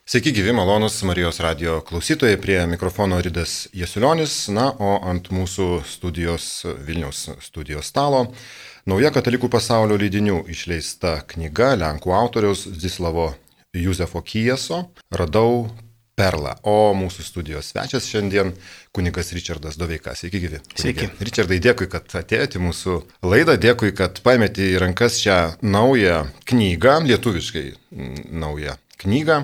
Sveiki gyvi, malonus Marijos radio klausytojai, prie mikrofono Ridas Jasiulionis, o ant mūsų Vilniaus studijos stalo nauja katalikų pasaulio leidinių išleista knyga lenkų autoriaus Zdzislavo Józefo Kijeso Radau perlą. O mūsų studijos svečias šiandien kunigas Ričardas Doveika. Sveiki gyvi. Sveiki. Ričardai, dėkui, kad atėjote į mūsų laidą, dėkui, kad paėmėte į rankas šią naują knygą, lietuviškai naują knygą.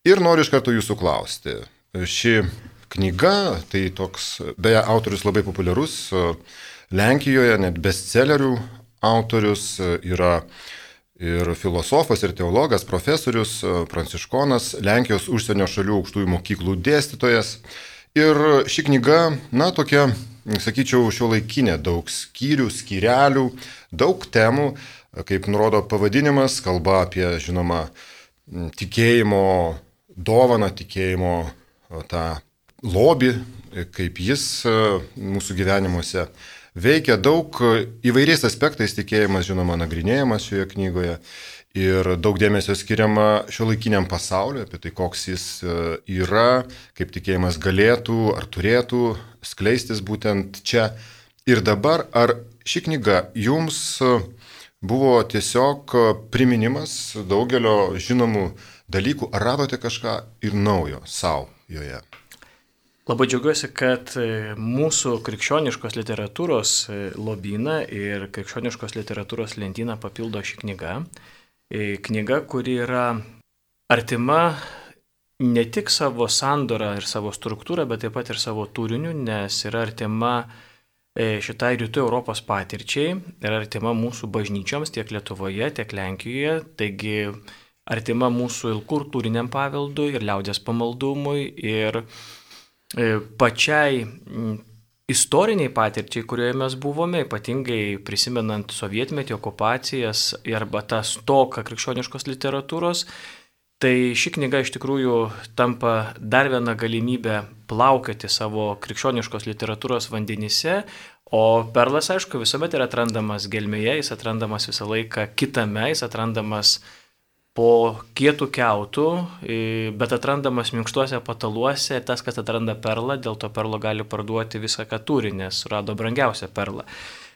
Ir noriu iš karto jūsų klausti. Ši knyga, tai toks, beje, autorius labai populiarus, Lenkijoje net bestsellerių autorius, yra ir filosofas, ir teologas, profesorius, pranciškonas, Lenkijos užsienio šalių aukštųjų mokyklų dėstytojas. Ir ši knyga, tokia, sakyčiau, šiuolaikinė, daug skyrių, skyrelių, daug temų, kaip nurodo pavadinimas, kalba apie, žinoma, tikėjimo dovaną, tikėjimo tą lobį, kaip jis mūsų gyvenimuose veikia. Daug įvairiais aspektais tikėjimas, žinoma, nagrinėjamas šioje knygoje ir daug dėmesio skiriama šiuolaikiniam pasauliu, apie tai, koks jis yra, kaip tikėjimas galėtų ar turėtų skleistis būtent čia ir dabar. Ar ši knyga jums buvo tiesiog priminimas daugelio žinomų dalykų, ar radote kažką ir naujo savo joje? Labai džiaugiuosi, kad mūsų krikščioniškos literatūros lobyną ir krikščioniškos literatūros lentyną papildo ši knyga. Knyga, kuri yra artima ne tik savo sandorą ir savo struktūrą, bet taip pat ir savo turiniu, nes yra artima šitai rytų Europos patirčiai, yra artima mūsų bažnyčioms tiek Lietuvoje, tiek Lenkijoje, taigi artima mūsų kultūriniam paveldui ir liaudies pamaldumui ir pačiai istoriniai patirčiai, kurioje mes buvome, ypatingai prisimenant sovietmetį, okupacijas arba tą stoką krikščioniškos literatūros. Tai ši knyga iš tikrųjų tampa dar viena galimybė plaukioti savo krikščioniškos literatūros vandenyse, o perlas, aišku, visuomet yra atrandamas gelmėje, jis atrandamas visą laiką kitame, jis atrandamas po kietų kiautų, bet atrandamas minkštuose pataluose. Tas, kas atranda perlą, dėl to perlo gali parduoti visą, ką turi, nes surado brangiausią perlą.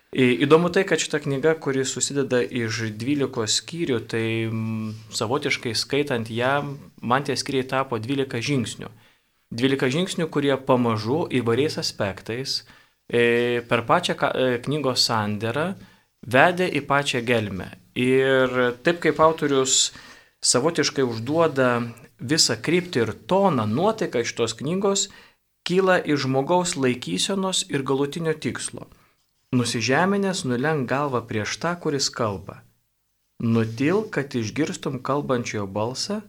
Įdomu tai, kad šita knyga, kuri susideda iš 12 skyrių, tai savotiškai skaitant ją, man tie skyriai tapo 12 žingsnių. 12 žingsnių, kurie pamažu įvairiais aspektais per pačią knygos sandarą vedė į pačią gelmę. Ir taip kaip autorius savotiškai užduoda visą kryptį ir toną, nuotaiką šitos knygos kyla iš žmogaus laikysenos ir galutinio tikslo. Nusižeminęs nulenk galvą prieš tą, kuris kalba. Nutil, kad išgirstum kalbančiojo balsą,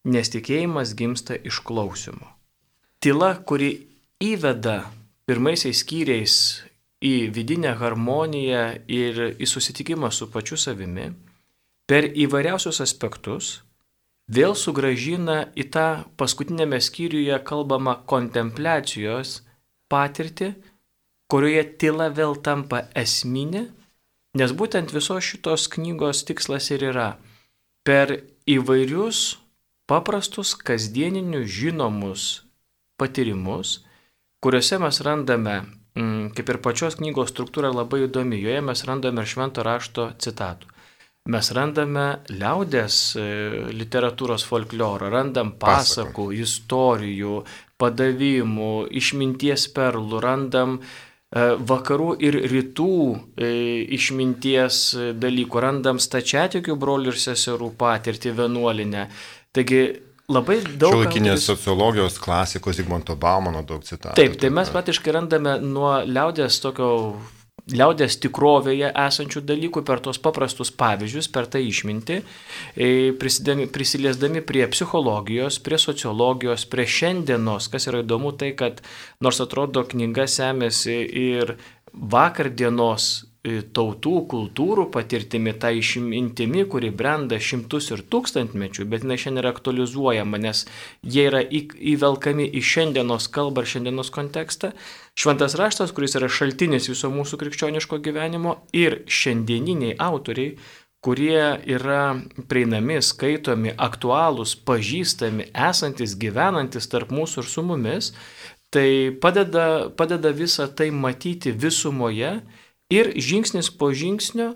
nes tikėjimas gimsta iš klausimo. Tyla, kuri įveda pirmaisiais skyriais į vidinę harmoniją ir į susitikimą su pačiu savimi, per įvairiausius aspektus vėl sugrąžina į tą paskutinėme skyriuje kalbamą kontempliacijos patirtį, kurioje tyla vėl tampa esminė, nes būtent visos šitos knygos tikslas ir yra per įvairius paprastus kasdieninius žinomus patyrimus, kuriuose mes randame, kaip ir pačios knygos struktūra labai įdomi, joje mes randame ir švento rašto citatų. Mes randame liaudies literatūros folklorą, randam pasakų, istorijų, padavimų, išminties perlų, randam vakarų ir rytų išminties dalykų, randam stačiatikių brolių ir seserų patirtį vienuolinę. Taigi labai daug... Šiuolaikinės sociologijos klasikos Zigmanto Baumano daug citatų. Taip, tai mes praktiškai randame nuo liaudies tikrovėje esančių dalykų per tos paprastus pavyzdžius, per tą išmintį, prisiliesdami prie psichologijos, prie sociologijos, prie šiandienos, kas yra įdomu tai, kad nors atrodo knyga semėsi ir vakardienos tautų, kultūrų patirtimi, tą išmintimi, kuri brenda šimtus ir tūkstantmečių, bet jinai šiandien yra aktualizuojama, nes jie yra įvelkami į šiandienos kalbą ir šiandienos kontekstą. Šventas raštas, kuris yra šaltinis viso mūsų krikščioniško gyvenimo, ir šiandieniniai autoriai, kurie yra prieinami, skaitomi, aktualūs, pažįstami, esantis, gyvenantis tarp mūsų ir su mumis, tai padeda visą tai matyti visumoje ir žingsnis po žingsnio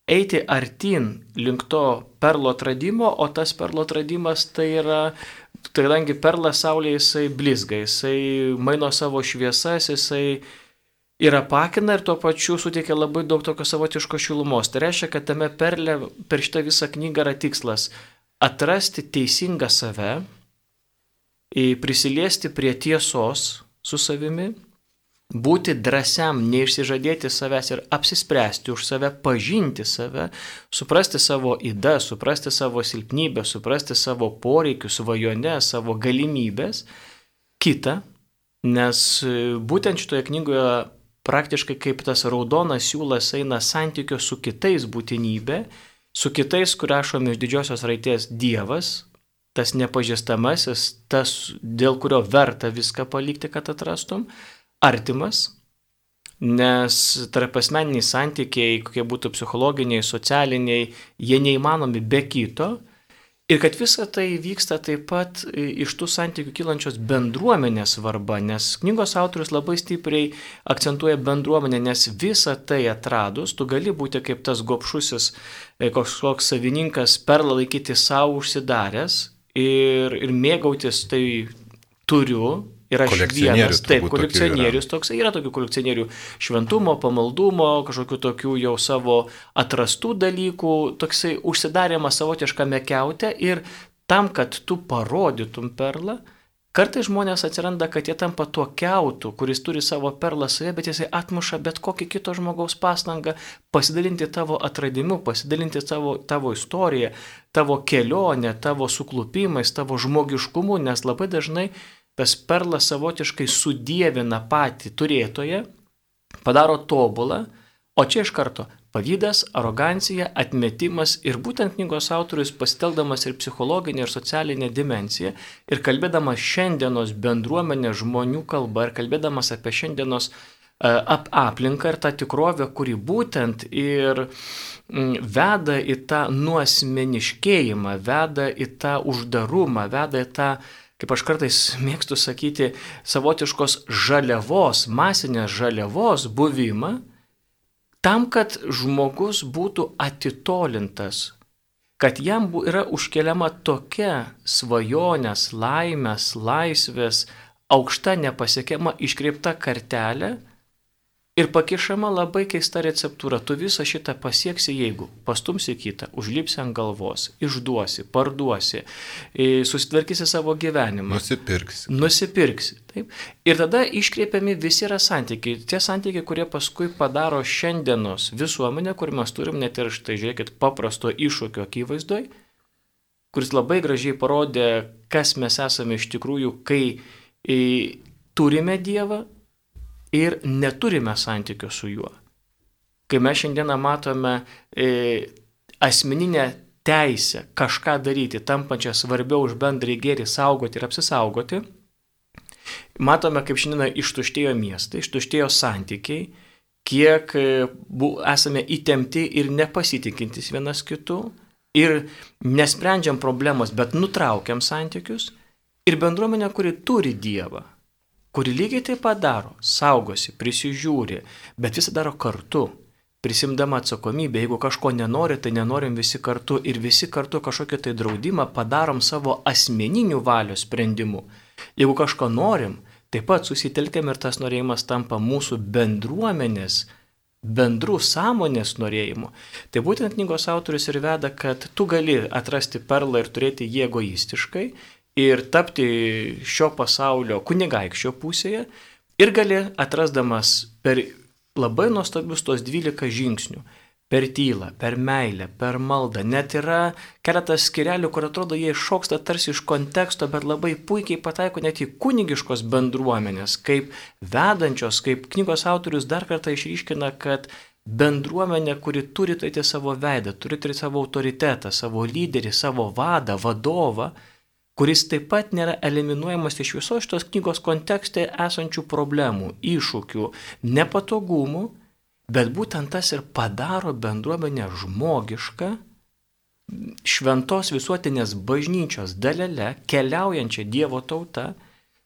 eiti artyn link to perlo atradimo, o tas perlo atradimas tai yra, kadangi perlas saulėje jisai blizga, jisai maino savo šviesas, jisai ir apakina ir tuo pačiu suteikia labai daug tokio savotiško šilumos. Tai reiškia, kad tame perle per šitą visą knygą yra tikslas atrasti teisingą save, prisiliesti prie tiesos su savimi, būti drąsiam, neišsižadėti savęs ir apsispręsti už save, pažinti save, suprasti savo ydas, suprasti savo silpnybę, suprasti savo poreikius, svajones, savo galimybės, kitą, nes būtent šitoje knygoje praktiškai kaip tas raudonas siūlas eina santykio su kitais būtinybė, su kitais, kur rašom iš didžiosios raidės Dievas, tas nepažįstamasis, tas, dėl kurio verta viską palikti, kad atrastum, artimas, nes tarpasmeniniai santykiai, kokie būtų psichologiniai, socialiniai, jie neįmanomi be kito. Ir kad visa tai vyksta taip pat iš tų santykių kylančios bendruomenės svarba, nes knygos autorius labai stipriai akcentuoja bendruomenę, nes visą tai atradus, tu gali būti kaip tas gobšusis, koks savininkas perlą laikyti savo užsidaręs ir mėgautis tai turiu. Ir aš vienas, taip, kolekcionierius toks, yra tokių kolekcionierių šventumo, pamaldumo, kažkokių tokių jau savo atrastų dalykų, toksai užsidarimas savotiškame kiaute ir tam, kad tu parodytum perlą, kartais žmonės atsiranda, kad jie tampa tuo kiautu, kuris turi savo perlą savie, bet jisai atmuša bet kokį kito žmogaus pastangą pasidalinti tavo atradimu, pasidalinti tavo istoriją, tavo kelionę, tavo suklupimais, tavo žmogiškumu, nes labai dažnai tas perlas savotiškai sudievina patį turėtoją, padaro tobulą, o čia iš karto pavydas, arogancija, atmetimas ir būtent knygos autorius pasitelkdamas ir psichologinę ir socialinę dimensiją ir kalbėdamas šiandienos bendruomenės žmonių kalbą ir kalbėdamas apie šiandienos aplinką ir tą tikrovę, kuri būtent ir veda į tą nuasmeniškėjimą, veda į tą uždarumą, veda į tą, kaip aš kartais mėgstu sakyti, savotiškos žaliavos, masinės žaliavos buvimą, tam, kad žmogus būtų atitolintas, kad jam yra užkeliama tokia svajonės, laimės, laisvės, aukšta nepasiekiama iškreipta kartelė ir pakišama labai keista receptūra. Tu visą šitą pasieksi, jeigu pastumsi kitą, užlipsi ant galvos, išduosi, parduosi, susitvarkysi savo gyvenimą. Nusipirksi. Taip. Ir tada iškreipiami visi yra santykiai. Tie santykiai, kurie paskui padaro šiandienos visuomenę, kur mes turim net ir štai, žiūrėkit, paprasto iššūkio akivaizdoj, kuris labai gražiai parodė, kas mes esame iš tikrųjų, kai turime Dievą, ir neturime santykio su juo. Kai mes šiandieną matome asmeninę teisę kažką daryti, tampančią svarbiau už bendrąjį gėrį saugoti ir apsisaugoti, matome, kaip šiandieną ištuštėjo miestai, ištuštėjo santykiai, kiek esame įtempti ir nepasitikintis vienas kitu ir nesprendžiam problemos, bet nutraukiam santykius ir bendruomenė, kuri turi Dievą, kuri lygiai taip pat daro, saugosi, prisižiūri, bet visą daro kartu, prisimdama atsakomybę. Jeigu kažko nenori, tai nenorim visi kartu ir visi kartu kažkokį tai draudimą padarom savo asmeninių valios sprendimu. Jeigu kažko norim, taip pat susitelkiam ir tas norėjimas tampa mūsų bendruomenės, bendrų sąmonės norėjimu. Tai būtent knygos autorius ir veda, kad tu gali atrasti perlą ir turėti jį egoistiškai, ir tapti šio pasaulio kunigaikščio pusėje ir gali atrasdamas per labai nuostabius tos 12 žingsnių, per tylą, per meilę, per maldą. Net yra keletas skirelių, kur atrodo jie iššoksta tarsi iš konteksto, bet labai puikiai pataiko net į kunigiškos bendruomenės, kaip vedančios, kaip knygos autorius dar kartą išryškina, kad bendruomenė, kuri turi turėti savo veidą, turi turėti savo autoritetą, savo lyderį, savo vadą, vadovą, kuris taip pat nėra eliminuojamas iš visos šitos knygos kontekste esančių problemų, iššūkių, nepatogumų Bet būtent tas ir padaro bendruomenę žmogišką, šventos visuotinės bažnyčios dalele, keliaujančią Dievo tauta,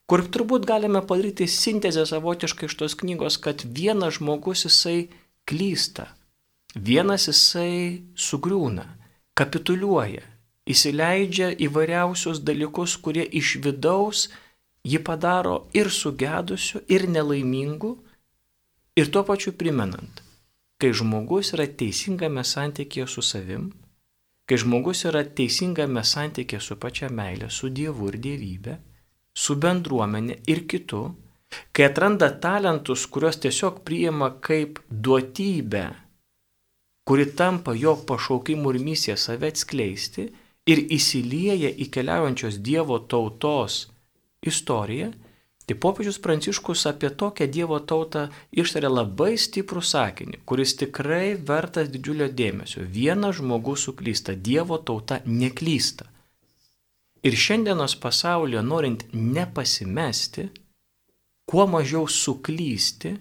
kur turbūt galime padaryti sintezę savotiškai iš tos knygos, kad vienas žmogus jisai klysta, vienas jisai sugriūna, kapituliuoja, įsileidžia įvairiausius dalykus, kurie iš vidaus jį padaro ir sugedusiu, ir nelaimingu, ir tuo pačiu primenant, kai žmogus yra teisingame santykėje su savim, kai žmogus yra teisingame santykėje su pačia meilė, su Dievu ir dievybė, su bendruomenė ir kitu, kai atranda talentus, kuriuos tiesiog priima kaip duotybę, kuri tampa jo pašaukimu ir misija save atskleisti ir įsilieja į keliaujančios Dievo tautos istoriją, tai popiežius Pranciškus apie tokią Dievo tautą ištarė labai stiprų sakinį, kuris tikrai vertas didžiulio dėmesio. Vienas žmogus suklysta, Dievo tauta neklysta. Ir šiandienos pasaulyje, norint nepasimesti, kuo mažiau suklysti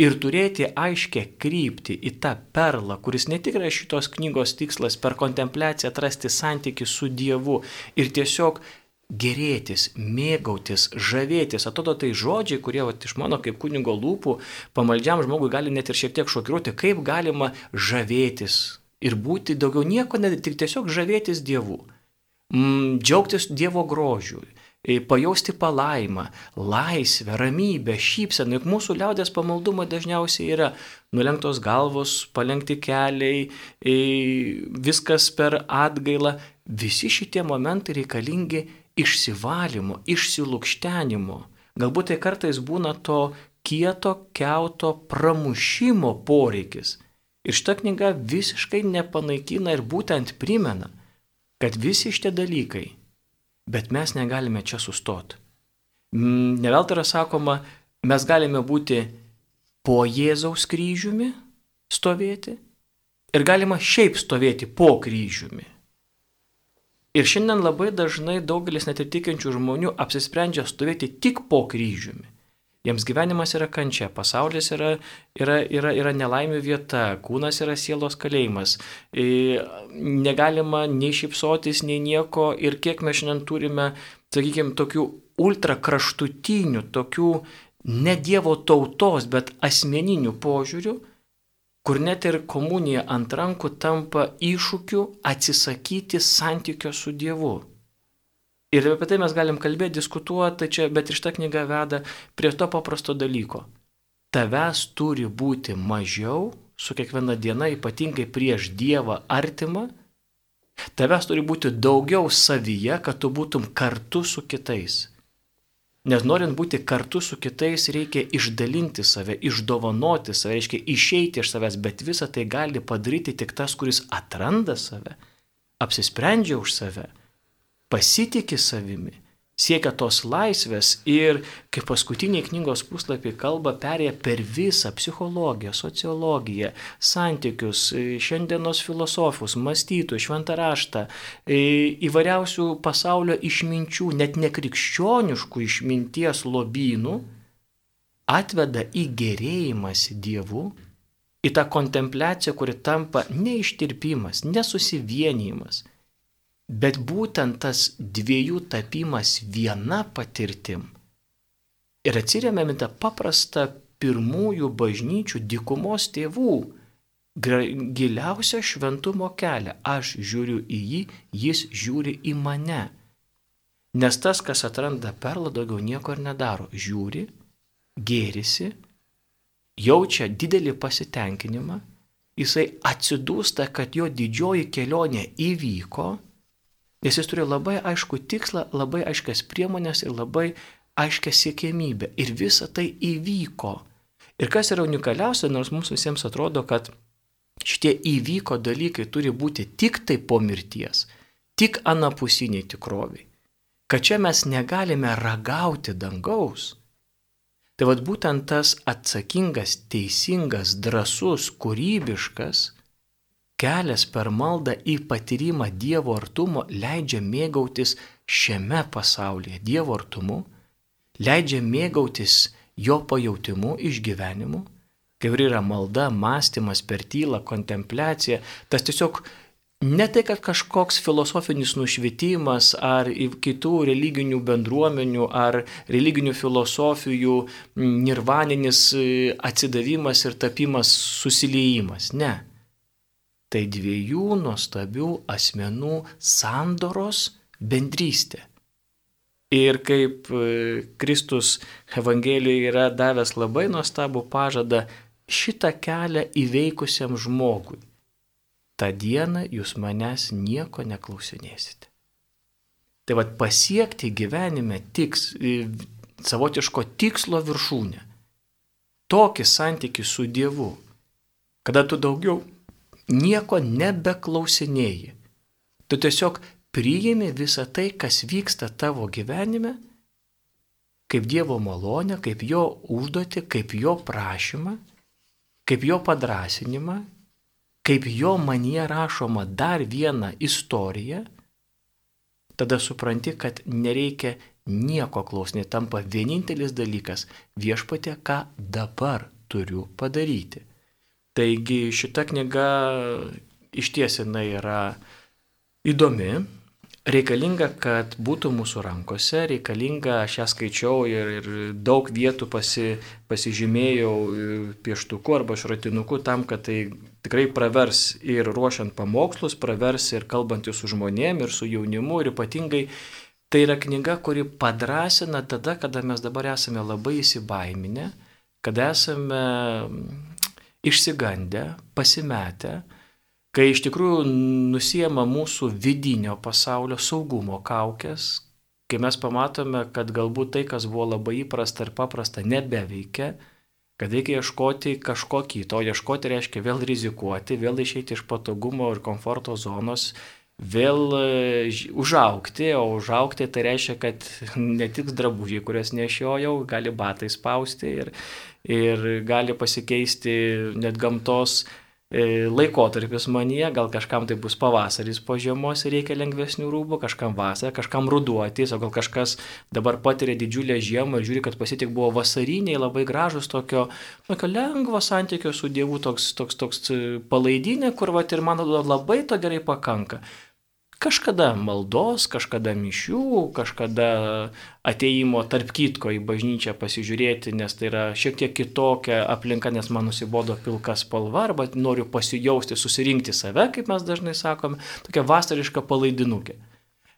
ir turėti aiškę kryptį į tą perlą, kuris ne tik yra šitos knygos tikslas per kontempliaciją atrasti santykį su Dievu ir tiesiog gerėtis, mėgautis, žavėtis. Atrodo tai žodžiai, kurie iš mano kaip kunigo lūpų pamaldžiam žmogui gali net ir šiek tiek šokiruoti, kaip galima žavėtis ir būti daugiau nieko, tik tiesiog žavėtis Dievu, džiaugtis Dievo grožiu, pajausti palaimą, laisvę, ramybę, šypseną. Juk mūsų liaudės pamaldumai dažniausiai yra nulenktos galvos, palenkti keliai, viskas per atgailą. Visi šitie momentai reikalingi išsivalymo, išsilukštenimo. Galbūt tai kartais būna to kieto, kiauto pramušimo poreikis. Ir šita knyga visiškai nepanaikina ir būtent primena, kad visi šitie dalykai, bet mes negalime čia sustoti. Neveltui yra sakoma, mes galime būti po Jėzaus kryžiumi stovėti ir galima šiaip stovėti po kryžiumi. Ir šiandien labai dažnai daugelis netitikinčių žmonių apsisprendžia stovėti tik po kryžiumi. Jiems gyvenimas yra kančia, pasaulis yra nelaimių vieta, kūnas yra sielos kalėjimas, negalima nei šypsotis, nei nieko. Ir kiek mes šiandien turime, sakykime, tokių ultrakraštutinių, tokių ne Dievo tautos, bet asmeninių požiūrių, kur net ir komunija ant rankų tampa iššūkiu atsisakyti santykio su Dievu. Ir apie tai mes galim kalbėti, diskutuoti, bet ir šita knyga veda prie to paprasto dalyko. Tavęs turi būti mažiau su kiekviena diena, ypatingai prieš Dievą artimą. Tavęs turi būti daugiau savyje, kad tu būtum kartu su kitais. Nes norint būti kartu su kitais, reikia išdalinti save, išdovanoti save, reiškia išeiti iš savęs, bet visą tai gali padaryti tik tas, kuris atranda save, apsisprendžia už save, pasitiki savimi, siekia tos laisvės ir, kaip paskutiniai knygos puslapiai kalba, perėja per visą psichologiją, sociologiją, santykius, šiandienos filosofus, mąstytojus, šventą raštą, įvairiausių pasaulio išminčių, net nekrikščioniškų išminties lobynų, atveda į gerėjimąsi Dievu, į tą kontempliaciją, kuri tampa neištirpimas, nesusivienijimas, bet būtent tas dviejų tapimas viena patirtim. Ir atsiremiam į tą paprastą pirmųjų bažnyčių dykumos tėvų giliausią šventumo kelią. Aš žiūriu į jį, jis žiūri į mane. Nes tas, kas atranda perlą, daugiau nieko ir nedaro. Žiūri, gėrisi, jaučia didelį pasitenkinimą, jisai atsidūsta, kad jo didžioji kelionė įvyko, nes jis turi labai aišku tikslą, labai aiškias priemonės ir labai aiškią siekiamybę. Ir visa tai įvyko. Ir kas yra unikaliausia, nors mums visiems atrodo, kad šitie įvyko dalykai turi būti tik tai po mirties, tik anapusiniai tikroviai. Kad čia mes negalime ragauti dangaus. Tai vat būtent tas atsakingas, teisingas, drąsus, kūrybiškas kelias per maldą į patyrimą Dievo artumo leidžia mėgautis šiame pasaulyje Dievo artumu, leidžia mėgautis jo pajautimu, išgyvenimu, kai yra malda, mąstymas per tylą, kontempliacija, tas tiesiog ne tai, kad kažkoks filosofinis nušvitimas ar kitų religinių bendruomenių ar religinių filosofijų nirvaninis atsidavimas ir tapimas susiliejimas. Ne. Tai dviejų nuostabių asmenų sandoros bendrystė. Ir kaip Kristus Evangelijoje yra davęs labai nuostabų pažadą šitą kelią įveikusiam žmogui. tą dieną jūs manęs nieko neklausinėsite. Tai vad pasiekti gyvenime savotiško tikslo viršūnę. Tokį santykį su Dievu, kada tu daugiau nieko nebeklausinėji. Tu tiesiog priimi visą tai, kas vyksta tavo gyvenime, kaip Dievo malonę, kaip jo užduotį, kaip jo prašymą, kaip jo padrasinimą, kaip jo manyje rašoma dar vieną istoriją, tada supranti, kad nereikia nieko klausinėti, tampa vienintelis dalykas viešpatie, ką dabar turiu padaryti. Taigi šita knyga išties jinai yra įdomi, reikalinga, kad būtų mūsų rankose, reikalinga, aš ją skaičiau ir daug vietų pasižymėjau pieštuku arba šratinuku tam, kad tai tikrai pravers ir ruošiant pamokslus, pravers ir kalbantys su žmonėm, ir su jaunimu, ir ypatingai tai yra knyga, kuri padrasina tada, kada mes dabar esame labai įsibaiminę, kada esame išsigandę, pasimetę, kai iš tikrųjų nusiema mūsų vidinio pasaulio saugumo kaukės, kai mes pamatome, kad galbūt tai, kas buvo labai įprasta ir paprasta, nebeveikia, kad reikia ieškoti kažko kito, o ieškoti reiškia vėl rizikuoti, vėl išeiti iš patogumo ir komforto zonos, vėl užaugti, o užaugti tai reiškia, kad ne tik drabužiai, kurias nešiojau, gali batai spausti ir gali pasikeisti net gamtos laikotarpis manyje, gal kažkam tai bus pavasaris po žiemos ir reikia lengvesnių rūbų, kažkam vasarą, kažkam ruduo ateis, o gal kažkas dabar patiria didžiulę žiemą ir žiūri, kad pasitik buvo vasariniai, labai gražus tokio lengvo santykio su Dievu, toks palaidinė, kur vat ir man labai to gerai pakanka. Kažkada maldos, kažkada mišių, kažkada ateimo tarp kitko į bažnyčią pasižiūrėti, nes tai yra šiek tiek kitokia aplinka, nes man nusibodo pilka spalva, arba noriu pasijausti, susirinkti save, kaip mes dažnai sakome, tokia vasariška palaidinukė.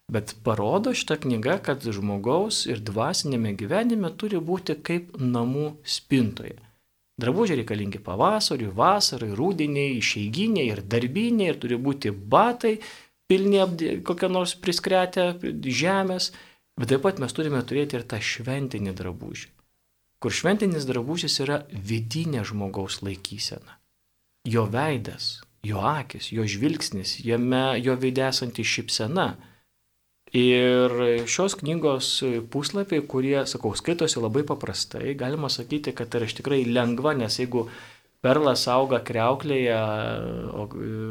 Bet parodo šitą knygą, kad žmogaus ir dvasinėme gyvenime turi būti kaip namų spintoje. Drabužiai reikalingi pavasariui, vasarai, rudeniai, išeiginiai ir darbiniai, ir turi būti batai, pilni kokią nors priskretę žemės, bet taip pat mes turime turėti ir tą šventinį drabužį, kur šventinis drabužis yra vidinė žmogaus laikysena. Jo veidas, jo akis, jo žvilgsnis, jo veide esanti šypsena. Ir šios knygos puslapiai, kurie, skaitosi labai paprastai, galima sakyti, kad tai yra tikrai lengva, nes jeigu perlas auga kriauklėje,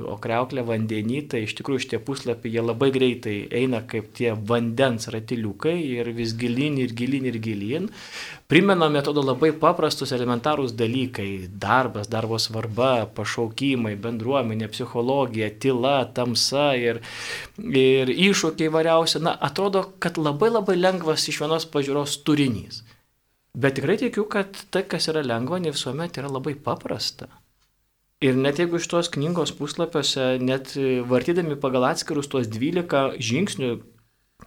o kriauklė vandenį, tai iš tikrųjų šitie puslapiai jie labai greitai eina kaip tie vandens ratiliukai ir vis gilyn ir gilyn ir gilyn. Primena metodo labai paprastus elementarūs dalykai - darbas, darbo svarba, pašaukimai, bendruomenė, psichologija, tyla, tamsa ir iššūkiai variausi. Na, atrodo, kad labai labai lengvas iš vienos pažiūros turinys. Bet tikrai tikiu, kad tai, kas yra lengva, ne visuomet yra labai paprasta. Ir net jeigu iš tos knygos puslapiuose, net vartydami pagal atskirus tuos 12 žingsnių,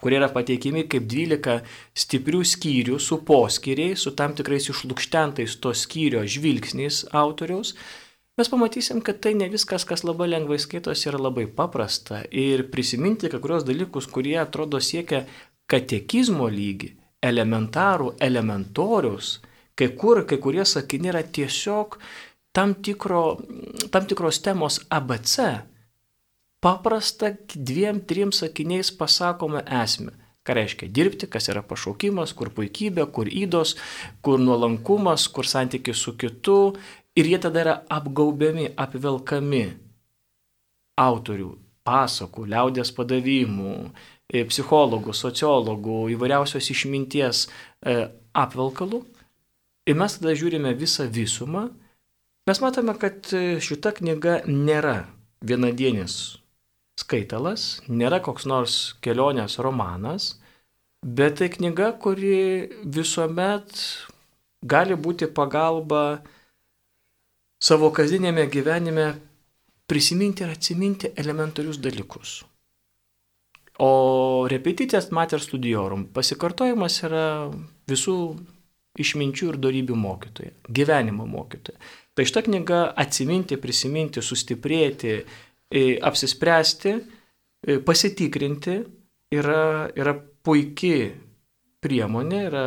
kurie yra pateikimi kaip 12 stiprių skyrių su poskyriais, su tam tikrais išlukštentais to skyrio žvilgsniais autoriaus, mes pamatysim, kad tai ne viskas, kas labai lengvai skaitosi, yra labai paprasta. Ir prisiminti kai kurios dalykus, kurie atrodo siekia katekizmo lygį, elementorius, kai kurie sakiniai yra tiesiog tam tikros temos ABC. Paprasta 2-3 sakiniais pasakome esmę. Ką reiškia dirbti, kas yra pašaukimas, kur puikybė, kur ydos, kur nuolankumas, kur santykis su kitu. Ir jie tada yra apgaubiami, apvelkami autorių, pasakų, liaudies padavimų, psichologų, sociologų, įvairiausios išminties apvelkalų. Ir mes tada žiūrime visą visumą Mes matome, kad šita knyga nėra vienadienis skaitalas, nėra koks nors kelionės romanas, bet tai knyga, kuri visuomet gali būti pagalba savo kasdienėme gyvenime prisiminti ir atsiminti elementarius dalykus. O repetitijas mater studiorum, pasikartojimas yra visų išminčių ir dorybių mokytoja, gyvenimo mokytoja. Tai šita knyga atsiminti, prisiminti, sustiprėti, apsispręsti, pasitikrinti yra puikiai priemonė, yra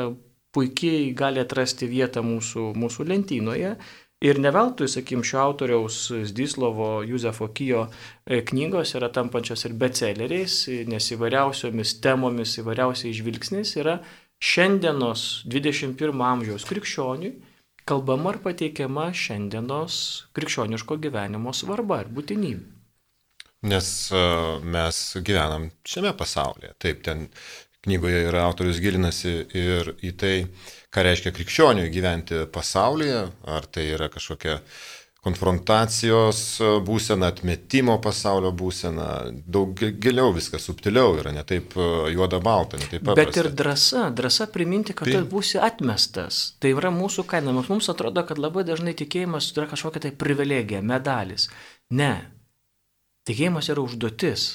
puikiai gali atrasti vietą mūsų lentynoje. Ir ne veltui, sakykim, šio autoriaus Zdislovo Juzefo Kijo knygos yra tampančios ir bestselleriais, nes įvairiausiomis temomis, įvairiausiais žvilgsniais yra šiandienos 21 amžiaus krikščioniui kalbama ir pateikiama šiandienos krikščioniško gyvenimo svarba ir būtinybė. Nes mes gyvenam šiame pasaulyje. Taip, ten knygoje yra autorius gilinasi ir į tai, ką reiškia krikščioniui gyventi pasaulyje, ar tai yra kažkokia konfrontacijos būsena, atmetimo pasaulio būsena, daug giliau viskas, subtiliau yra, ne taip juoda balta, ne taip paprasta. Bet ir drąsa priminti, kad tu būsi atmestas. Tai yra mūsų kaina. Mums atrodo, kad labai dažnai tikėjimas yra kažkokia tai privilegija, medalis. Ne. Tikėjimas yra užduotis.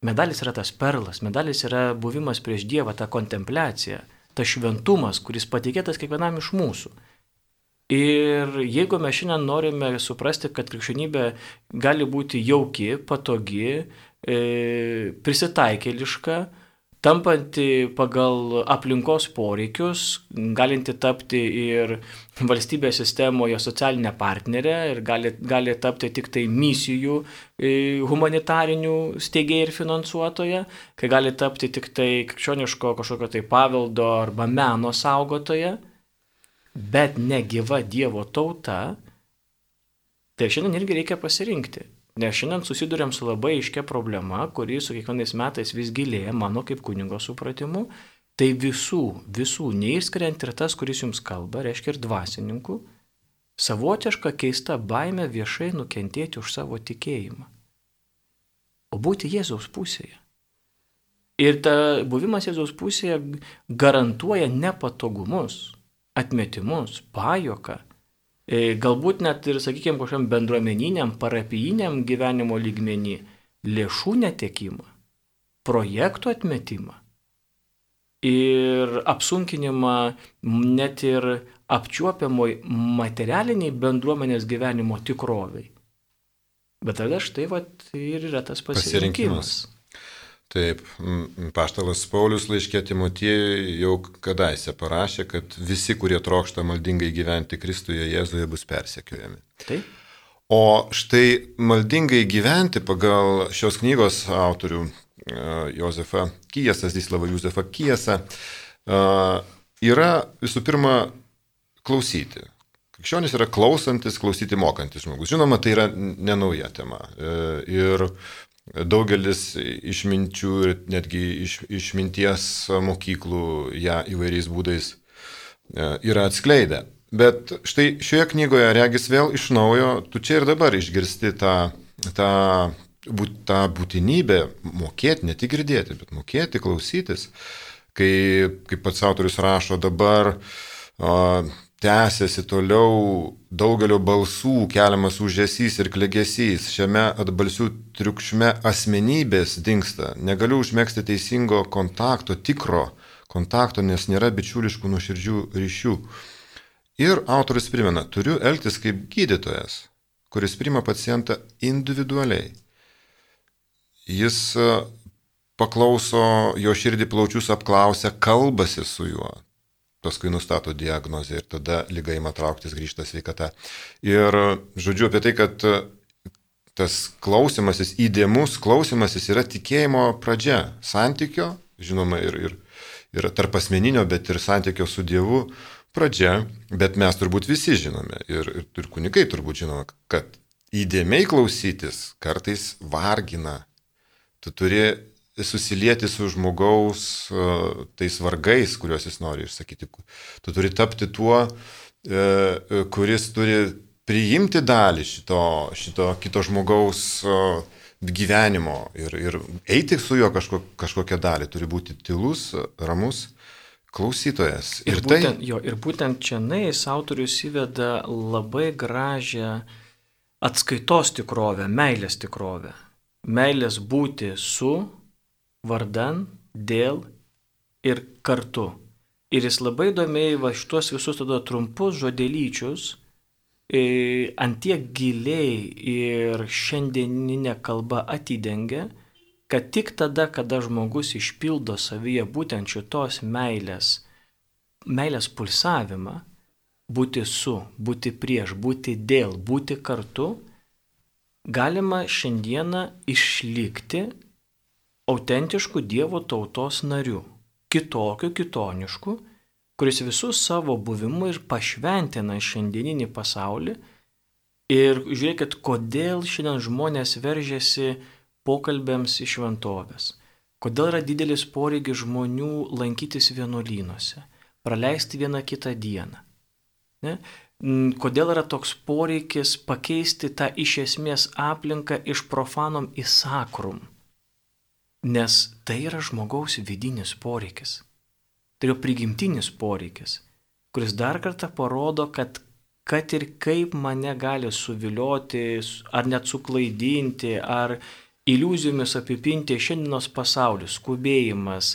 Medalis yra tas perlas, medalis yra buvimas prieš Dievą, ta kontempliacija, ta šventumas, kuris patikėtas kiekvienam iš mūsų. Ir jeigu mes šiandien norime suprasti, kad krikščionybė gali būti jauki, patogi, prisitaikėliška, tampanti pagal aplinkos poreikius, galinti tapti ir valstybės sistemoje socialinė partnerė ir gali tapti tik tai misijų humanitarinių steigėjai ir finansuotoja, kai gali tapti tik tai krikščioniško kažkokio tai paveldo arba meno saugotoja, bet negyva Dievo tauta, tai šiandien irgi reikia pasirinkti. Nes šiandien susidurėm su labai aiškia problema, kuri su kiekvienais metais vis gilėja mano kaip kunigo supratimu. Tai visų, neišskiriant ir tas, kuris jums kalba, reiškia ir dvasininkų, savotiška keista baimė viešai nukentėti už savo tikėjimą. O būti Jėzaus pusėje. Ir ta buvimas Jėzaus pusėje garantuoja nepatogumus, atmetimus, pajuoką. Galbūt net ir, sakykime, kažkam bendruomeniniam, parapijiniam gyvenimo lygmenį, lėšų netekimą, projektų atmetimą ir apsunkinimą net ir apčiuopiamoj materialiniai bendruomenės gyvenimo tikroviai. Bet tada štai ir yra tas pasirinkimas. Taip, apaštalas Paulius laiške Timotiejui jau kadaise parašė, kad visi, kurie trokšta maldingai gyventi Kristuje Jėzuje, bus persekiojami. Taip. O štai maldingai gyventi pagal šios knygos autorių Jozefą Kijasą, Zdislavą Juzefą Kijasą, yra visų pirma klausyti. Krikščionis yra klausantis, klausyti mokantis žmogus. Žinoma, tai yra nenauja tema. Ir daugelis išminčių ir netgi išminties mokyklų ją įvairiais būdais yra atskleidę. Bet štai šioje knygoje regis vėl iš naujo, tu čia ir dabar išgirsti tą būtinybę mokėti, ne tik girdėti, bet mokėti, klausytis. Kaip pats autorius rašo, dabar tęsiasi toliau daugelio balsų keliamas ūžesys ir klegesys. Šiame atbalsių triukšme asmenybės dingsta. Negaliu užmegzti teisingo kontakto, tikro kontakto, nes nėra bičiuliškų nuoširdžių ryšių. Ir autorius primena, turiu elgtis kaip gydytojas, kuris priima pacientą individualiai. Jis paklauso, jo širdį plaučius apklausia, kalbasi su juo. Paskui nustato diagnozę ir tada liga ima trauktis, grįžta sveikata. Ir žodžiu apie tai, kad tas klausimasis, įdėmus klausimasis yra tikėjimo pradžia. Santykio, žinoma, ir tarp asmeninio, bet ir santykio su Dievu pradžia. Bet mes turbūt visi žinome ir kunigai turbūt žinome, kad įdėmiai klausytis kartais vargina. Tu turi susilieti su žmogaus tais vargais, kuriuos jis nori išsakyti. Tu turi tapti tuo, kuris turi priimti dalį šito kito žmogaus gyvenimo ir eiti su juo kažkokią dalį. Turi būti tylus, ramus klausytojas. Ir būtent čia autorius įveda labai gražią atskaitos tikrovę, meilės tikrovę. Meilės būti su, vardan, dėl ir kartu. Ir jis labai įdomiai šitos visus tada trumpus žodelyčius antiek giliai ir šiandieninė kalba atidengia, kad tik tada, kada žmogus išpildo savyje būtent šitos meilės pulsavimą, būti su, būti prieš, būti dėl, būti kartu, galima šiandieną išlikti autentiškų Dievo tautos narių, kitoniškų, kuris visus savo buvimu ir pašventina šiandieninį pasaulį. Ir žiūrėkit, kodėl šiandien žmonės veržiasi pokalbėms į šventovės. Kodėl yra didelis poreikis žmonių lankytis vienuolynuose, praleisti vieną kitą dieną. Ne? Kodėl yra toks poreikis pakeisti tą iš esmės aplinką iš profanom į sakrum. Nes tai yra žmogaus vidinis poreikis. Tai yra prigimtinis poreikis, kuris dar kartą parodo, kad ir kaip mane gali suvilioti, ar net suklaidinti, ar iliuzijomis apipinti šiandienos pasaulis, skubėjimas,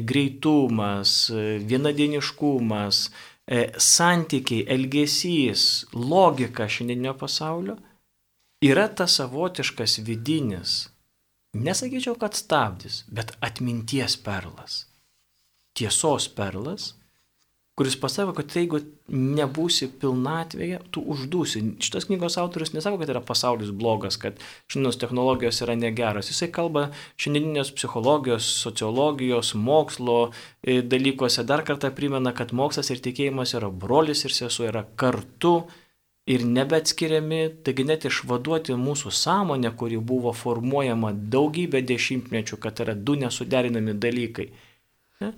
greitumas, vienadieniškumas, santykiai, elgesys, logika šiandieninio pasaulio, yra tas savotiškas vidinis, nesakyčiau, kad stabdis, bet atminties perlas. Tiesos perlas, kuris pasako, kad jeigu nebūsi pilnatvėje, tu uždūsi. Šitas knygos autorius nesako, kad yra pasaulis blogas, kad šiandienos technologijos yra negeros. Jisai kalba šiandieninės psichologijos, sociologijos, mokslo dalykuose. Dar kartą primena, kad mokslas ir tikėjimas yra brolis ir sesuo, yra kartu ir nebeatskiriami. Taigi net išvaduoti mūsų sąmonę, kuri buvo formuojama daugybę dešimtmečių, kad yra du nesuderinami dalykai. Ne?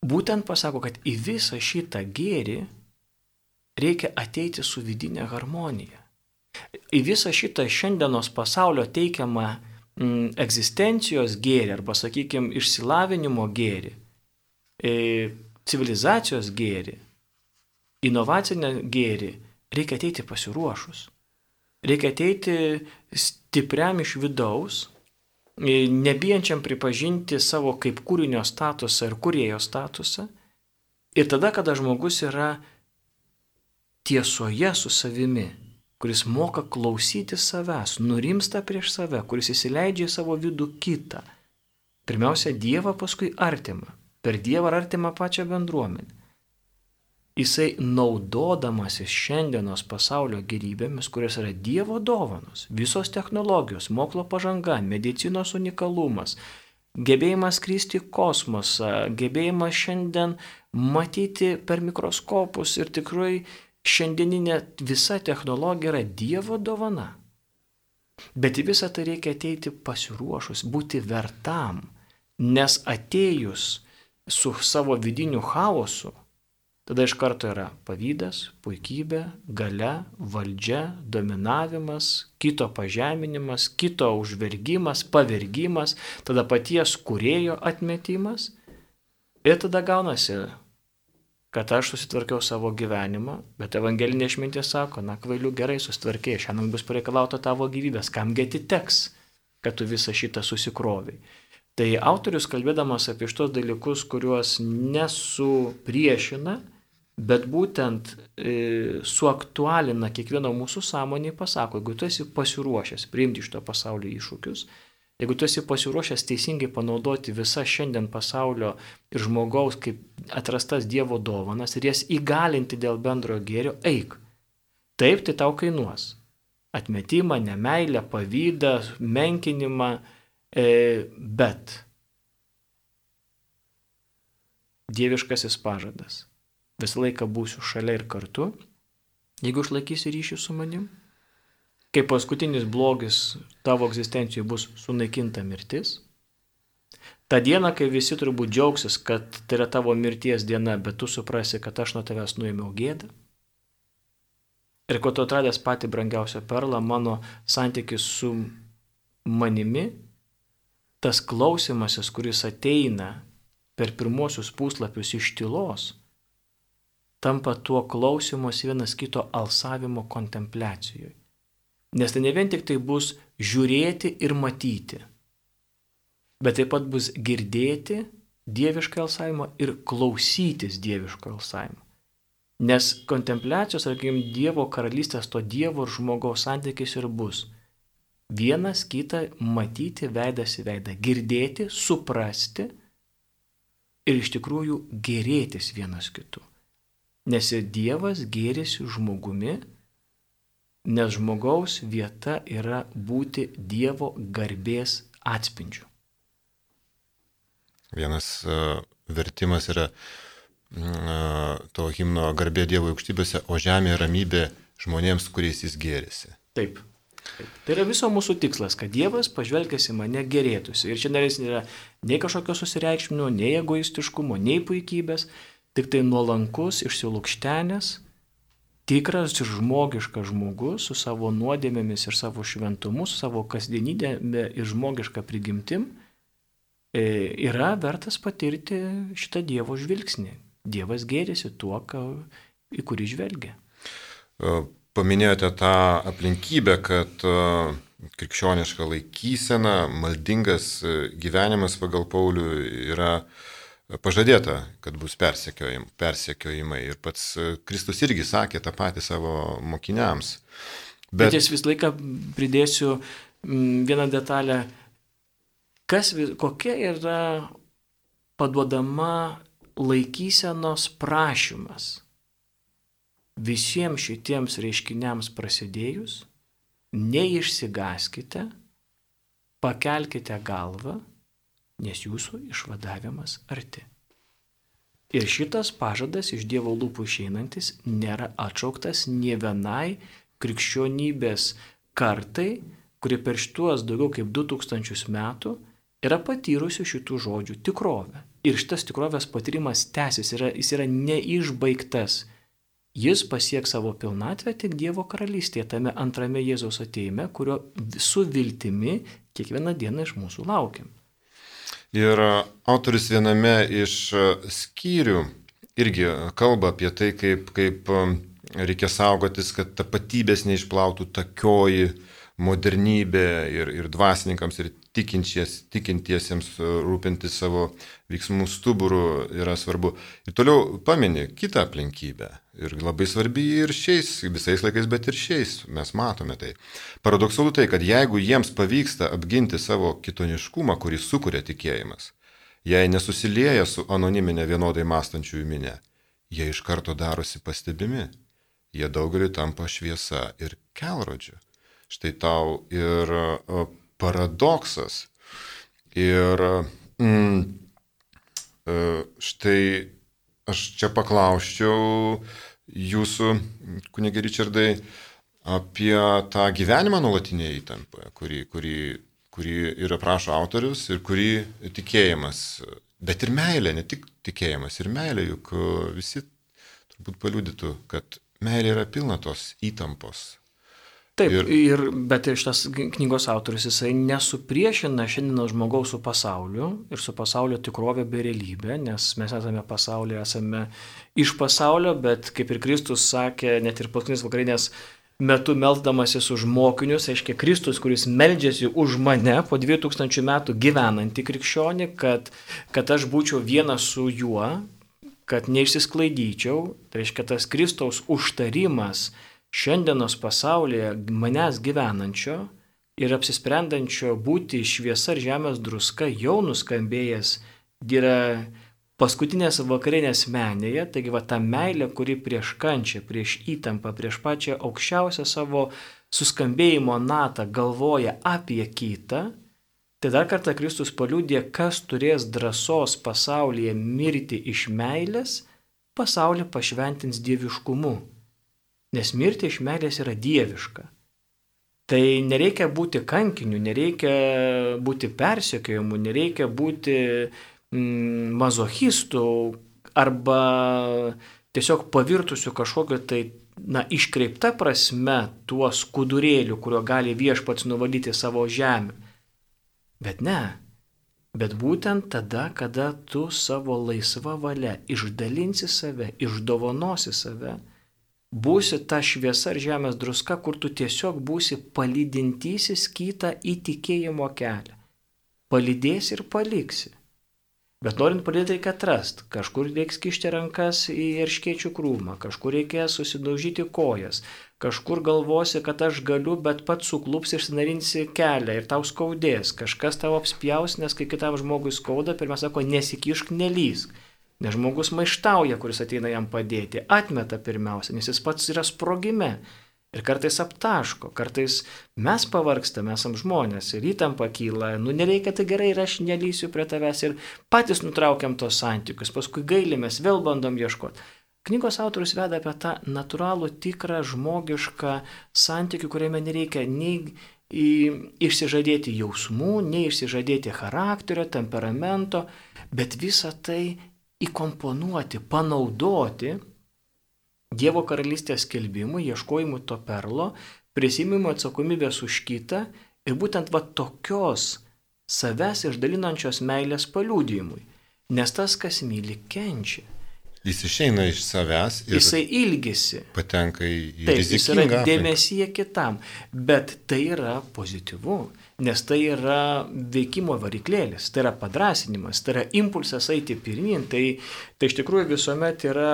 Būtent pasako, kad į visą šitą gėrį reikia ateiti su vidinė harmonija. Į visą šitą šiandienos pasaulio teikiamą egzistencijos gėrį, arba, sakykime, išsilavinimo gėrį, civilizacijos gėrį, inovacinę gėrį, reikia ateiti pasiruošus. Reikia ateiti stipriam iš vidaus, nebijančiam pripažinti savo kaip kūrinio statusą ir kūrėjo statusą. Ir tada, kada žmogus yra tiesoje su savimi, kuris moka klausyti savęs, nurimsta prieš save, kuris įsileidžia į savo vidų kitą. Pirmiausia, Dievą, paskui artimą. Per Dievą ir artimą pačią bendruomenę. Jisai naudodamasis šiandienos pasaulio gėrybėmis, kurios yra Dievo dovanos, visos technologijos, mokslo pažanga, medicinos unikalumas, gebėjimas skristi į kosmosą, gebėjimas šiandien matyti per mikroskopus ir tikrai šiandieninė visa technologija yra Dievo dovana. Bet į visą tai reikia ateiti pasiruošus, būti vertam, nes atėjus su savo vidiniu chaosu, tada iš karto yra pavydas, puikybė, galia, valdžia, dominavimas, kito pažeminimas, kito užvergimas, pavergimas, tada paties kūrėjo atmetimas. Ir tada gaunasi, kad aš susitvarkiau savo gyvenimą, bet evangelinė išmintis sako, na kvailių gerai susitvarkėjai, šiandien bus pareikalauta tavo gyvybės, kamgi atiteks, kad tu visą šitą susikroviai. Tai autorius, kalbėdamas apie šitos dalykus, kuriuos nesupriešina, bet būtent suaktualina kiekvieno mūsų sąmonį, pasako, jeigu tu esi pasiruošęs priimti šito pasaulio iššūkius, jeigu tu esi pasiruošęs teisingai panaudoti visą šiandien pasaulio ir žmogaus kaip atrastas Dievo dovanas ir jas įgalinti dėl bendrojo gėrio, eik. Taip, tai tau kainuos. Atmetimą, nemeilę, pavydą, menkinimą, bet dieviškasis pažadas. Visą laiką būsiu šalia ir kartu, jeigu išlaikysi ryšį su manim. Kai paskutinis blogis tavo egzistencijoje bus sunaikinta mirtis. Ta diena, kai visi turbūt džiaugsis, kad tai yra tavo mirties diena, bet tu suprasi, kad aš nuo tavęs nuėmiau gėdą. Ir kuo tu atradęs patį brangiausią perlą, mano santykis su manimi, tas klausimasis, kuris ateina per pirmosius puslapius iš tylos, tampa tuo klausimus vienas kito alsavimo kontempliacijoje. Nes tai ne vien tik tai bus žiūrėti ir matyti, bet taip pat bus girdėti dievišką alsavimą ir klausytis dieviško alsavimo. Nes kontempliacijos, sakykime, Dievo karalystės, to Dievo ir žmogaus santykis ir bus. Vienas kitą matyti veidas į veidą, girdėti, suprasti ir iš tikrųjų gėrėtis vienas kitu. Nes ir Dievas gėrisi žmogumi, nes žmogaus vieta yra būti Dievo garbės atspindžiu. Vienas vertimas yra to himno garbė Dievo aukštybėse, o žemė ramybė žmonėms, kuriais jis gėrisi. Taip. Tai yra viso mūsų tikslas, kad Dievas pažvelgęs į mane gėrėtųsi. Ir čia nėra nei kažkokio susireikšminimo, nei egoistiškumo, nei puikybės, tik tai nuolankus, išsilukštenęs, tikras ir žmogiškas žmogus su savo nuodėmėmis ir savo šventumu, su savo kasdienybė ir žmogiška prigimtim yra vertas patirti šitą Dievo žvilgsnį. Dievas gėrisi tuo, į kurį žvelgia. Paminėjote tą aplinkybę, kad krikščioniška laikysena, maldingas gyvenimas pagal Paulių yra pažadėta, kad bus persekiojimai. Ir pats Kristus irgi sakė tą patį savo mokiniams. Bet vis laiką pridėsiu vieną detalę. Kokia yra paduodama laikysenos prašymas visiems šitiems reiškiniams prasidėjus, neišsigaskite, pakelkite galvą, nes jūsų išvadavimas arti. Ir šitas pažadas iš Dievo lūpų išeinantis nėra atšauktas nė vienai krikščionybės kartai, kuri per šituos daugiau kaip 2000 metų yra patyrusi šitų žodžių tikrovę. Ir šitas tikrovės patyrimas tęsis, jis yra neišbaigtas. Jis pasieks savo pilnatvę tik Dievo karalystėje, tame antrame Jėzaus ateime, kurio su viltimi kiekvieną dieną iš mūsų laukiam. Ir autorius viename iš skyrių irgi kalba apie tai, kaip reikia saugotis, kad tapatybės neišplautų takioji modernybė ir dvasininkams, ir tikintiesiems rūpintis savo veiksmų stuburų yra svarbu. Ir toliau pamini kitą aplinkybę. Ir labai svarbi ir visais laikais, bet ir šiais mes matome tai. Paradoksalu tai, kad jeigu jiems pavyksta apginti savo kitoniškumą, kurį sukuria tikėjimas, jei nesusilieja su anoniminė vienodai mąstančiųjų minė, jie iš karto darosi pastebimi. Jie daugeliui tampa šviesa ir kelrodžiu. Štai tau ir paradoksas. Ir štai aš čia paklausčiau jūsų, kunige Ričardai, apie tą gyvenimą nuolatinėje įtampoje, kurį ir aprašo autorius ir kurį tikėjimas, bet ir meilė, ne tik tikėjimas, ir meilė, juk visi turbūt paliudytų, kad meilė yra pilna tos įtampos. Taip, bet šitas knygos autorius, jisai nesupriešina šiandienos žmogaus su pasauliu ir su pasaulio tikrovė bei realybė, nes mes esame pasaulyje, esame iš pasaulio, bet kaip ir Kristus sakė, net ir paskutinės vakarinės metu meldamasis už mokinius, aiškiai Kristus, kuris meldžiasi už mane po 2000 metų gyvenantį krikščionį, kad aš būčiau vienas su juo, kad neišsisklaidyčiau, tai reiškia tas Kristaus užtarimas šiandienos pasaulyje manęs gyvenančio ir apsisprendančio būti šviesa ir žemės druska jau nuskambėjęs yra paskutinės vakarinės menėje, taigi ta meilė, kuri prieš kančią, prieš įtampą, prieš pačią aukščiausią savo suskambėjimo natą galvoja apie kitą, tai dar kartą Kristus paliudė, kas turės drąsos pasaulyje mirti iš meilės, pasaulį pašventins dieviškumu. Nes mirti iš meilės yra dieviška. Tai nereikia būti kankiniu, nereikia būti persekiojimu, nereikia būti mazochistu arba tiesiog pavirtusiu kažkokio tai iškreipta prasme tuo skudurėliu, kurio gali viešpats nuvalyti savo žemę. Bet ne. Bet būtent tada, kada tu savo laisva valia išdalinsi save, išdovanosi save, būsi ta šviesa ar žemės druska, kur tu tiesiog būsi palydintysis kitą į tikėjimo kelią. Palydėsi ir paliksi. Bet norint palydėti reikia atrasti. Kažkur reiks kišti rankas į erškėčių krūmą, kažkur reikės susidaužyti kojas, kažkur galvosi, kad aš galiu, bet pats suklups ir sinarinsi kelią ir tau skaudės. Kažkas tau apspjaus, nes kai kitam žmogui skauda, pirmiausia sako, nesikišk, nelysk. Nes žmogus maištauja, kuris ateina jam padėti, atmeta pirmiausia, nes jis pats yra sprogime. Ir kartais aptaško, kartais mes pavargstame, esam žmonės ir įtampa kyla, nereikia, tai gerai ir aš nelysiu prie tavęs ir patys nutraukiam tos santykius, paskui gailimės, vėl bandom ieškoti. Knygos autorius veda apie tą natūralų, tikrą, žmogišką santykių, kuriame nereikia nei išsižadėti jausmų, nei išsižadėti charakterio, temperamento, bet visą tai įkomponuoti, panaudoti Dievo karalystės skelbimui, ieškojimui to perlo, prisimimui atsakomybės už kitą ir būtent tokios savęs išdalinančios meilės paliudijimui. Nes tas, kas myli, kenčia. Jis išeina iš savęs ir jisai ilgisi. Patenka į taip, rizikingą jis yra dėmesyje kitam. Bet tai yra pozityvu, nes tai yra veikimo variklėlis, tai yra padrasinimas, tai yra impulsas eiti pirmin. Tai iš tikrųjų visuomet yra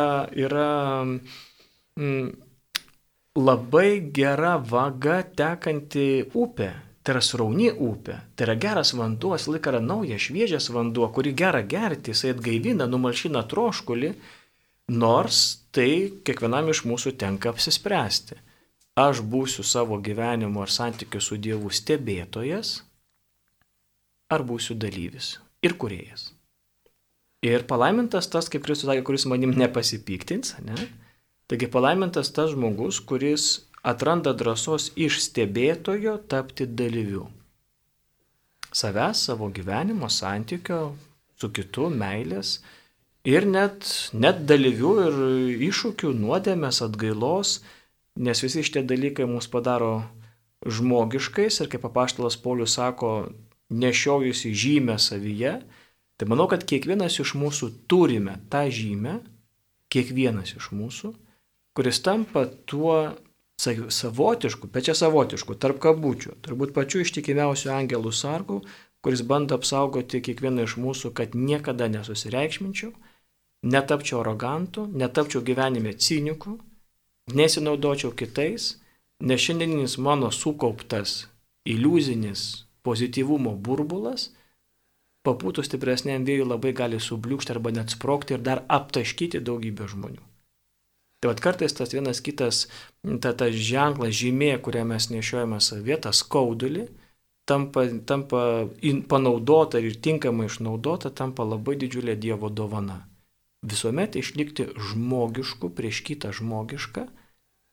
labai gera vaga tekanti upė. Tai yra srauni upė, tai yra geras vanduo, jis laik yra naujas, šviežias vanduo, kurį gera gerti, jisai atgaivina, numalšina troškulį, nors tai kiekvienam iš mūsų tenka apsispręsti. Aš būsiu savo gyvenimo ar santykių su Dievu stebėtojas, ar būsiu dalyvis ir kūrėjas. Ir palaimintas tas, kaip Kristus sakė, kuris manim nepasipiktins, ne? Taigi palaimintas tas žmogus, kuris atranda drąsos iš stebėtojo tapti dalyviu. Savęs, savo gyvenimo, santykio su kitu, meilės ir net dalyvių ir iššūkių, nuodėmės, atgailos, nes visi šitie dalykai mus padaro žmogiškais ir kaip apaštalas Paulius sako, nešiojusi žymę savyje, tai manau, kad kiekvienas iš mūsų turime tą žymę, kiekvienas iš mūsų, kuris tampa tuo savotišku, bet čia savotišku, tarp kabučių, turbūt pačiu ištikimiausiu angelų sargų, kuris bando apsaugoti kiekvieną iš mūsų, kad niekada nesusireikšminčiau, netapčiau arogantu, netapčiau gyvenime ciniku, nesinaudočiau kitais, nes šiandieninis mano sukauptas iliuzinis pozityvumo burbulas papūtus stipresniam vėjui labai gali subliūkšti arba net sprogti ir dar aptaškyti daugybę žmonių. Tai kartais tas vienas kitas, tas ženklas, žymė, kurią mes nešiojame savyje, tas skaudulį, tampa panaudota ir tinkamai išnaudota, tampa labai didžiulė Dievo dovana. Visuomet išlikti žmogišku prieš kitą žmogišką,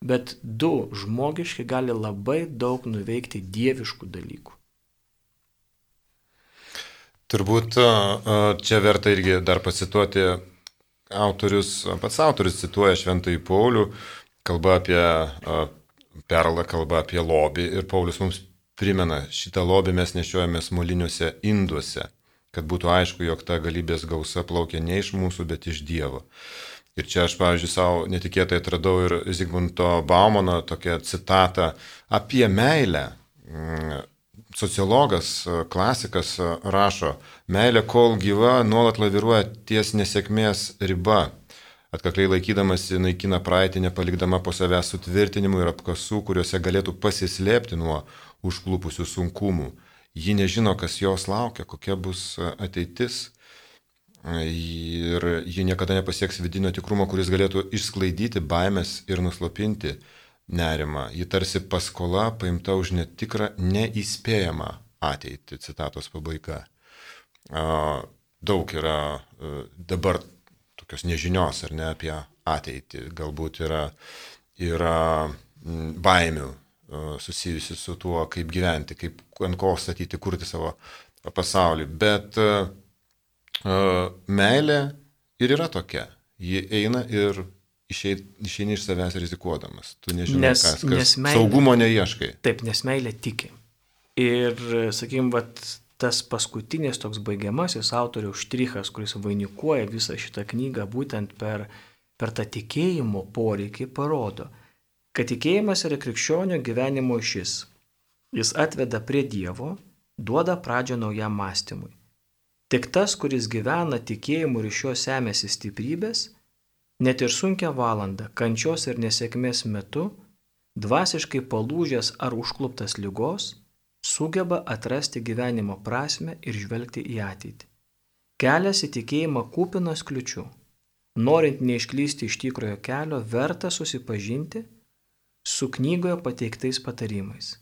bet du žmogiški gali labai daug nuveikti dieviškų dalykų. Turbūt čia verta irgi dar pacituoti pats autorius cituoja Šventąjį Paulių, kalba apie perlą, kalba apie lobį ir Paulius mums primena, šitą lobį mes nešiojamės moliniuose induose, kad būtų aišku, jog ta galybės gausa plaukia ne iš mūsų, bet iš Dievo. Ir čia aš, pavyzdžiui, savo netikėtai atradau ir Zigmunto Baumano tokią citatą apie meilę. Sociologas, klasikas rašo, meilė kol gyva nuolat laviruoja ties nesėkmės riba, atkakliai laikydamasi naikina praeitį, nepalikdama po savęs sutvirtinimų ir apkasų, kuriuose galėtų pasislėpti nuo užklupusių sunkumų. Ji nežino, kas jos laukia, kokia bus ateitis ir ji niekada nepasieks vidinio tikrumo, kuris galėtų išsklaidyti baimės ir nuslopinti nerimą. Ji tarsi paskola paimta už netikrą, neįspėjamą ateitį. Citatos pabaiga. Daug yra dabar tokios nežinios ar ne apie ateitį. Galbūt yra baimių susijusi su tuo, kaip gyventi, kaip ant ko statyti, kurti savo pasaulį. Bet meilė ir yra tokia. Ji eina ir išeini iš savęs rizikuodamas. Tu nežinai, kas meilė, saugumo neieškai. Taip, nes meilė tiki. Ir, sakykim, tas paskutinis toks baigiamasis autoriaus štrichas, kuris vainikuoja visą šitą knygą, būtent per tą tikėjimo poreikį parodo, kad tikėjimas yra krikščionio gyvenimo šis. Jis atveda prie Dievo, duoda pradžią naujam mąstymui. Tik tas, kuris gyvena tikėjimu ir iš jo semėsi stiprybės, net ir sunkia valanda, kančios ir nesėkmės metu, dvasiškai palūžęs ar užkluptas ligos, sugeba atrasti gyvenimo prasmę ir žvelgti į ateitį. Kelias į tikėjimą kupinas kliučių. Norint neišklysti iš tikrojo kelio, verta susipažinti su knygoje pateiktais patarimais.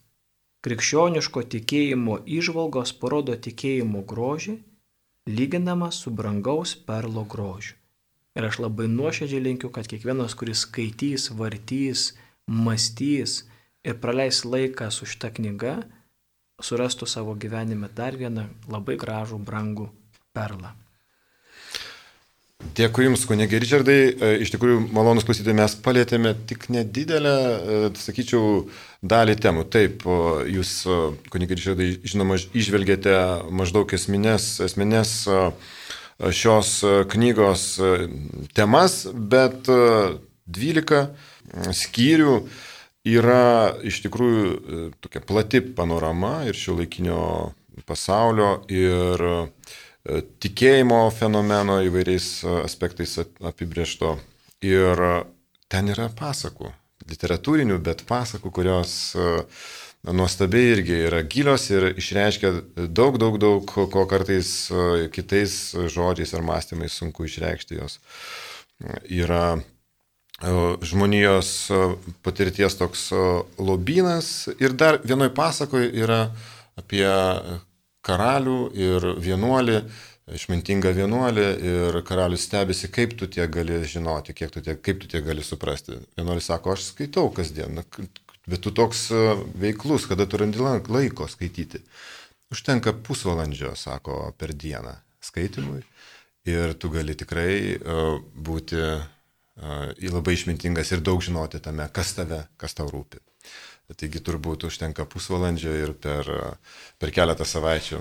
Krikščioniško tikėjimo įžvalgos parodo tikėjimo grožį, lyginamas su brangaus perlo grožiu. Ir aš labai nuoširdžiai linkiu, kad kiekvienas, kuris skaitys, vartys, mąstys ir praleis laiką su šita knyga, surastų savo gyvenime dar vieną labai gražų, brangų perlą. Dėkui Jums, kunige Ričardai. Iš tikrųjų, malonus klausytojai, mes palėtėme tik nedidelę, sakyčiau, dalį temų. Taip, Jūs, kunige Ričardai, žinoma, išvelgėte maždaug esminės šios knygos temas, bet 12 skyrių yra iš tikrųjų tokia plati panorama ir šiuolaikinio pasaulio ir tikėjimo fenomeno įvairiais aspektais apibrėžto. Ir ten yra pasakų, literatūrinių, bet pasakų, kurios nuostabiai irgi yra gilios ir išreiškia daug, ko kartais kitais žodžiais ar mąstymais sunku išreikšti jos. Yra žmonijos patirties toks lobynas ir dar vienoj pasakoje yra apie karalių ir vienuolį, išmintingą vienuolį, ir karalius stebisi, kaip tu tiek gali žinoti, kaip tu tiek gali suprasti. Vienuolis sako, aš skaitau kasdien, bet tu toks veiklus, kada tu randi laiko skaityti. Užtenka pusvalandžio, sako, per dieną skaitimui ir tu gali tikrai būti labai išmintingas ir daug žinoti tame, kas tau rūpi. Taigi turbūt užtenka pusvalandžio ir per keletą savaičių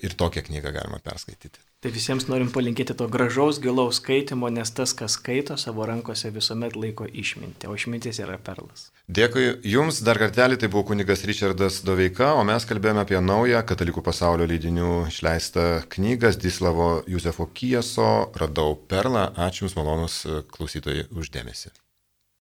ir tokią knygą galima perskaityti. Tai visiems norim palinkėti to gražaus, gilaus skaitimo, nes tas, kas skaito, savo rankose visuomet laiko išmintį, o išmintis yra perlas. Dėkui Jums dar kartelį, tai buvo kunigas Ričardas Doveika, o mes kalbėjome apie naują Katalikų pasaulio leidinių išleistą knygą Zdzislavo Józefo Kijeso Radau perlą. Ačiū Jums, malonus klausytojai, už dėmesį.